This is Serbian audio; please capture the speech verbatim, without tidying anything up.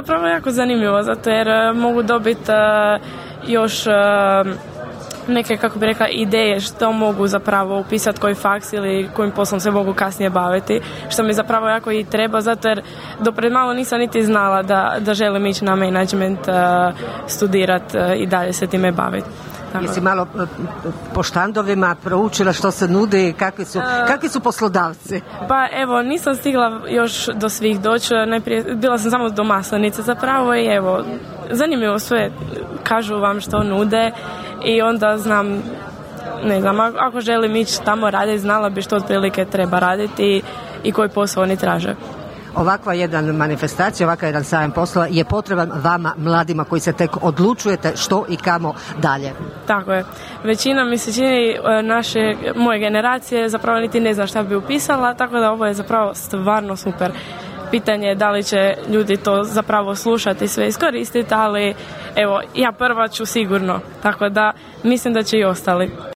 zapravo jako zanimljivo, zato jer mogu dobiti još neke, kako bi rekla, ideje što mogu zapravo upisati, koji faks ili kojim poslom se mogu kasnije baviti, što mi zapravo jako i treba, zato jer do pred malo nisam niti znala da, da želim ići na management, studirati i dalje se time baviti. Tako. Jesi malo po štandovima proučila što se nudi, kakvi su, kakvi su poslodavci? Pa evo, nisam stigla još do svih doći, najprije bila sam samo do Maslenice zapravo i evo, zanimljivo sve, kažu vam što nude i onda znam, ne znam, ako želim ići tamo raditi, znala bi što otprilike treba raditi i koji posao oni traže. Ovakva jedan manifestacija, ovakav jedan sajam poslova je potreban vama, mladima koji se tek odlučujete što i kamo dalje. Tako je. Većina mi se čini naše, moje generacije zapravo niti ne zna šta bi upisala, tako da ovo je zapravo stvarno super. Pitanje je da li će ljudi to zapravo slušati i sve iskoristiti, ali evo, ja prva ću sigurno, tako da mislim da će i ostali.